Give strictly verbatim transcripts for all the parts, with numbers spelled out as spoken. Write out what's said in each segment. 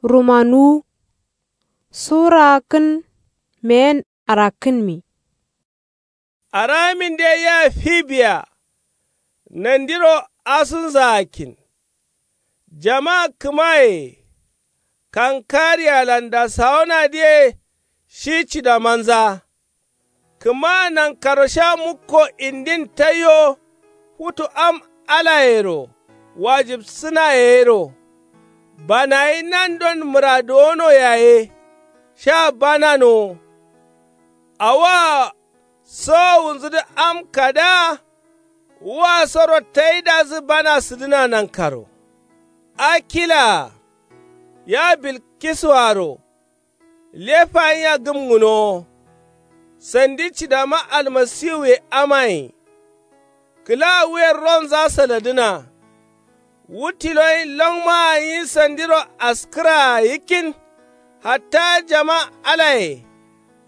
Rumanuwu. Sura kǝn meyen arakkǝnmi. Araminde ya fibiya. Nandiro asunza akkin. Jama kǝmaye kankariyalan dasawonadǝye. Shi cidamanza. Kǝma nankaro sha mukko indin taiyo. Futu am alayero wajibsǝnayero. Banayi nandon mǝraduwono yaye. Sha bananowo. Awoa sowowunzudǝ am kada. Wa soro taidazǝ bana sǝdǝna nankaro. Akilaa ya bilkisuaro. Lefa nyiya gǝmgǝnowo. Sandi cidama almasiwuye amaye. Kǝla wuyen ronza saladǝna. Wu tiloyin longmaa nyi sandiro askǝraa yikkin. Hatta jama alaye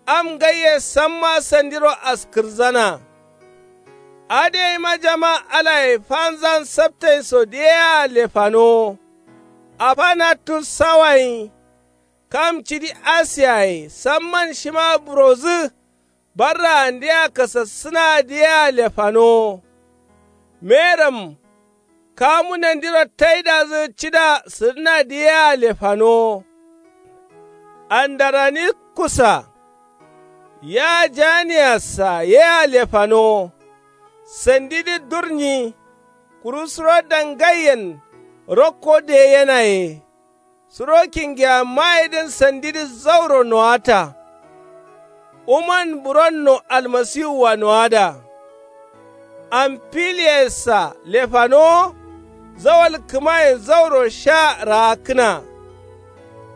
am ngaiye samma sandiro askǝrzana. Adǝ yeima jama alaye fanzan saptainso diyea lefanowo. Afanatus sawayin kam cidi asiyaye samman shima burodǝ. Barraandea kasassǝnadǝ yea lefanowo. Meram kamu nandiro taidazǝ cida sǝdǝnadǝ yea lefanowo. Andaranikusa ya janiyassa yea lefanowo. Sandidǝ durnyi kuru suro dangaiyen rokko deyenaye. Suro kingiyammayedǝn sandidǝ zauro nowata. Uman buronno almasiwua nowada. Amfiliyassa lefanowo zawal kǝmayen zauro sha raakkǝna.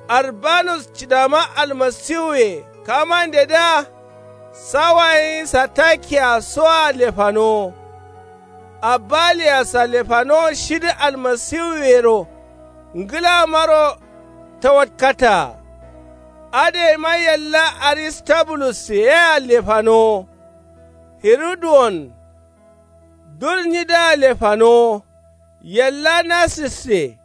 Arbanus cidama almasiwuye kamandedǝa. Sawayin satakiya soa lefanowo. Abaliyassa lefanowo shidǝ almasiwuyero. Ngǝlamaro tawatkataa. Adǝ yeima yalla aristabulusse yea lefanowo. Hiruduwon durnyidǝa lefanowo. Yalla nasisse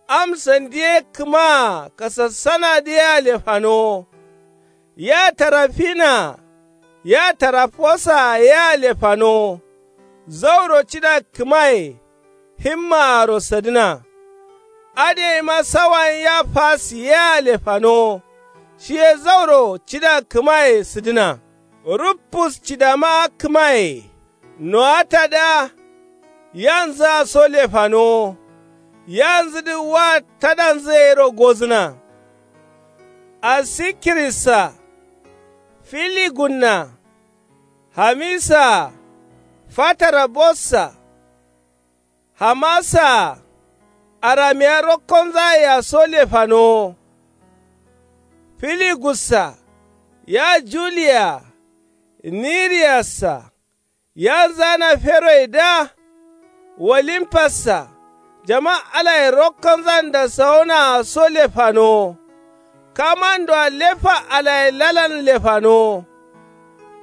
am sandiye kǝmaa kasassanadǝ yea lefanowo. Ya tarafina ya tarafosaa yea lefanowo. Zauro cida kǝmaye himmaaro sadǝna. Adǝ yeima sawayin ya fasi yea lefanowo. Shiye zauro cida kǝmaye sǝdǝna. Ruffus cidama kǝmaye nowatadǝa. Yanzǝa so lefanowo. Yanzǝdǝ wa tadanzǝ yero gozǝna. Asikirissa filigunna. Hamisaa fatarabossa. Hamasaa aramiya rokkonzayea so lefanowo. Filigussa ya juliya. Niriyassa yanzana feroyedǝa. Wolimpassa jama alaye rokkonzan dasawonaa so lefanowo. Kamandoa lefa alaye lalan lefanowo.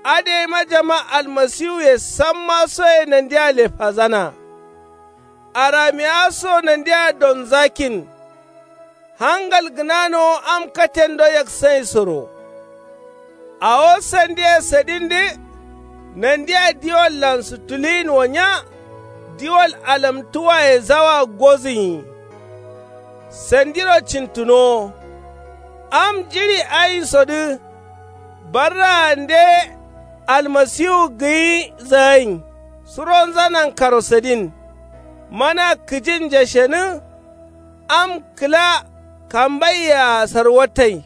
Adǝ yeima jama almasiwuye samma soye nandia lefazana. Aramiya so nandia donzakkin. Hangal gǝnanowo am katendo yaksainsoro. Awo sandiye sadindǝ. Nandia diwallan sutuluyin wo nya. Diwal alamtuwaye zawa gozǝnyi. Sandiro cintunowo. Am jiɍi ainsodǝ. Barraande almasiwu gǝyi zayin. Suronza nankaro sadin. Mana kǝjin jashenǝ. Am kǝla kambaiyea sarwatai.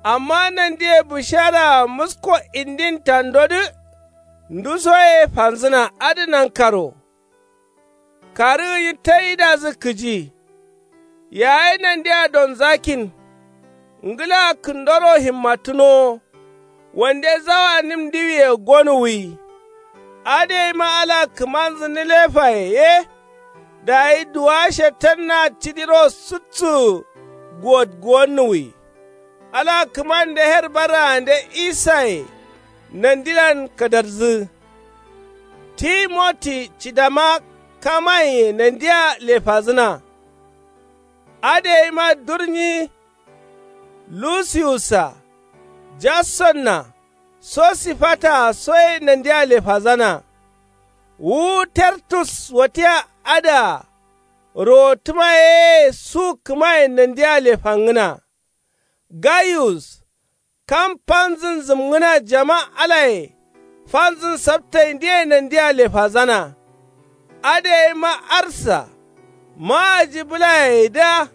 Amma nandiye bǝsharaa musko indin tandodǝ. Nduso ye fanzǝna adǝ nankaro. Karǝ gǝnyi taidazǝ kǝji. Yayi nandia donzakkin. Ngǝla kǝndoro himmatǝnowo. Wande zawa nim ndiwiye gonuwwi. Adǝ yeima ala kǝmanzǝ nǝlefaye ye. Dayi duwa shetanna cidiro sutsu guwot guwonnuwwi. Ala kǝmande her barraande isaye. Nandilan kadarzǝ. Timoti cidama kamaiye nandia lefazǝna. Adǝ yeima durnyi lusiyussa, jassonna, sosifataa soye nandia lefazana. Wu tertus watia adǝa rowottǝma yeye su kǝmayen nandia lefangǝna. Gayus, kam fanzǝn zǝmgǝna jama alaye fanzǝn saptaindǝye nandia lefazana. Adǝ yeima arsa, ma'aji bǝlayedǝa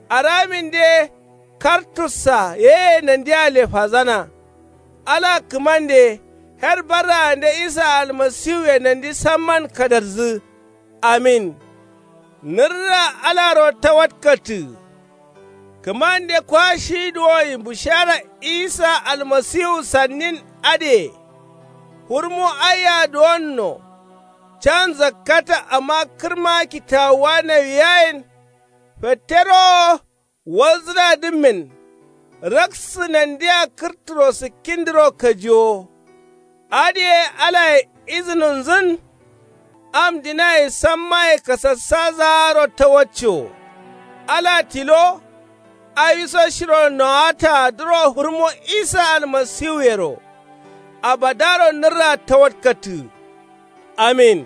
araminde kartussa yeye nandia lefazana. Ala kǝmande, her barraande isa almasiwuye nandi samman kadarzǝ. Amin. Nǝrra alaro tawatkattǝ. Kǝmande kwa shi duwoyin bushara isa almasiwu sannin adǝye. Hurmu aiya duwonno. Can zakkata amma kǝrma kitawuwa nawiyayen. Fettero wo walzǝnadǝmmen. Raksǝ nandia kǝrturo sǝkkindǝro kajiwo. Adǝye alaye izǝnunzǝn. Am dinaye sammaye kasassazaaro tawacco. Ala tilo. Awiso shiro nowataadǝro hurmo isa almasiwuyero. Abadaro nǝrra tawatkattǝ. Amin.